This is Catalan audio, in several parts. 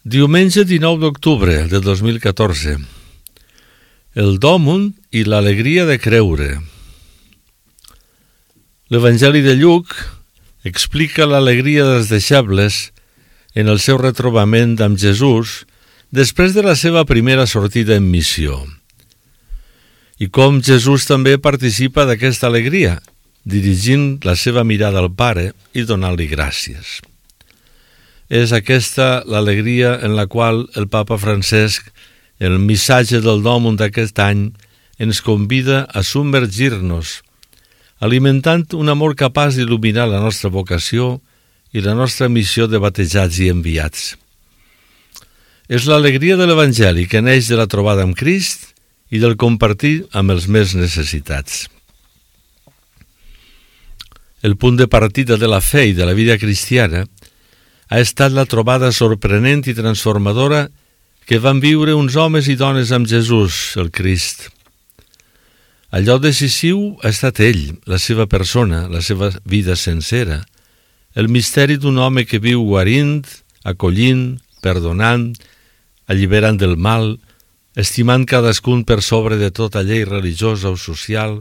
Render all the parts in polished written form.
Diumenge 19 d'octubre de 2014. El dòmund i l'alegria de creure. L'Evangeli de Lluc explica l'alegria dels deixebles en el seu retrobament amb Jesús després de la seva primera sortida en missió. I com Jesús també participa d'aquesta alegria, dirigint la seva mirada al Pare i donant-li gràcies. És aquesta l'alegria en la qual el Papa Francesc, en el missatge del dòmund d'aquest any, ens convida a submergir-nos, alimentant un amor capaç d'il·luminar la nostra vocació i la nostra missió de batejats i enviats. És l'alegria de l'Evangeli que neix de la trobada amb Crist i del compartir amb els més necessitats. El punt de partida de la fe i de la vida cristiana ha estat la trobada sorprenent i transformadora que van viure uns homes i dones amb Jesús, el Crist. Allò decisiu ha estat ell, la seva persona, la seva vida sencera, el misteri d'un home que viu guarint, acollint, perdonant, alliberant del mal, estimant cadascun per sobre de tota llei religiosa o social,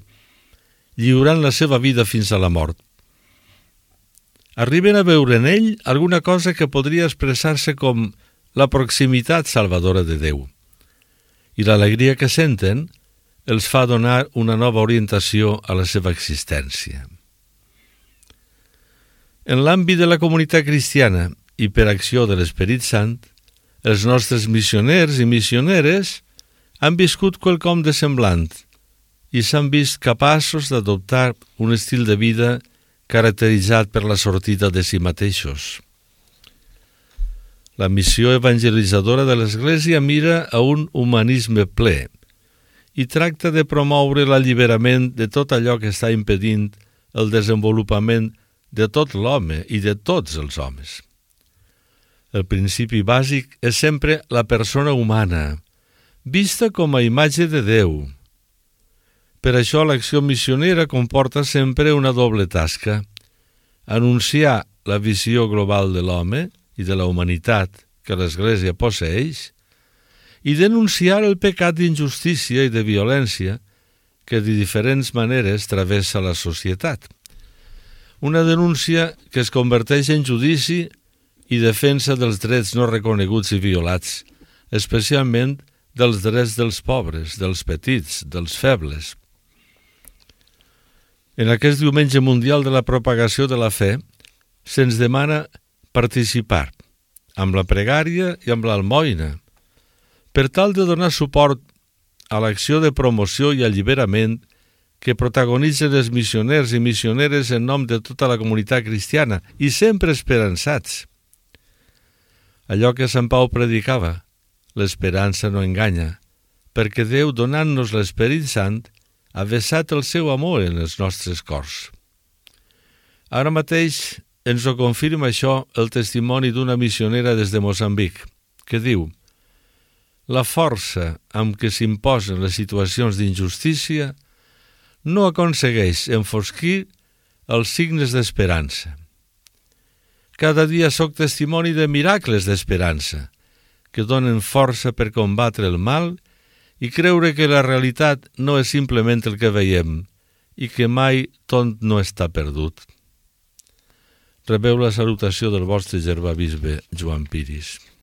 lliurant la seva vida fins a la mort. Arriben a veure en ell alguna cosa que podria expressar-se com la proximitat salvadora de Déu. I l'alegria que senten els fa donar una nova orientació a la seva existència. En l'àmbit de la comunitat cristiana i per acció de l'Esperit Sant, els nostres missioners i missioneres han viscut quelcom de semblant i s'han vist capaços d'adoptar un estil de vida caracteritzat per la sortida de si mateixos. La missió evangelitzadora de l'Església mira a un humanisme ple i tracta de promoure l'alliberament de tot allò que està impedint el desenvolupament de tot l'home i de tots els homes. El principi bàsic és sempre la persona humana, vista com a imatge de Déu. Per això l'acció missionera comporta sempre una doble tasca: anunciar la visió global de l'home i de la humanitat que l'Església posseeix i denunciar el pecat d'injustícia i de violència que de diferents maneres travessa la societat. Una denúncia que es converteix en judici i defensa dels drets no reconeguts i violats, especialment dels drets dels pobres, dels petits, dels febles. En aquest Diumenge Mundial de la Propagació de la Fe, se'ns demana participar amb la pregària i amb l'almoina, per tal de donar suport a l'acció de promoció i alliberament que protagonitzen els missioners i missioneres en nom de tota la comunitat cristiana i sempre esperançats. Allò que Sant Pau predicava, l'esperança no enganya, perquè Déu, donant-nos l'Esperit Sant, ha vessat el seu amor en els nostres cors. Ara mateix ens ho confirma això el testimoni d'una missionera des de Moçambic, que diu: la força amb què s'imposen les situacions d'injustícia no aconsegueix enfosquir els signes d'esperança. Cada dia soc testimoni de miracles d'esperança que donen força per combatre el mal i creure que la realitat no és simplement el que veiem i que mai tot no està perdut. Rebeu la salutació del vostre germà bisbe Joan Piris.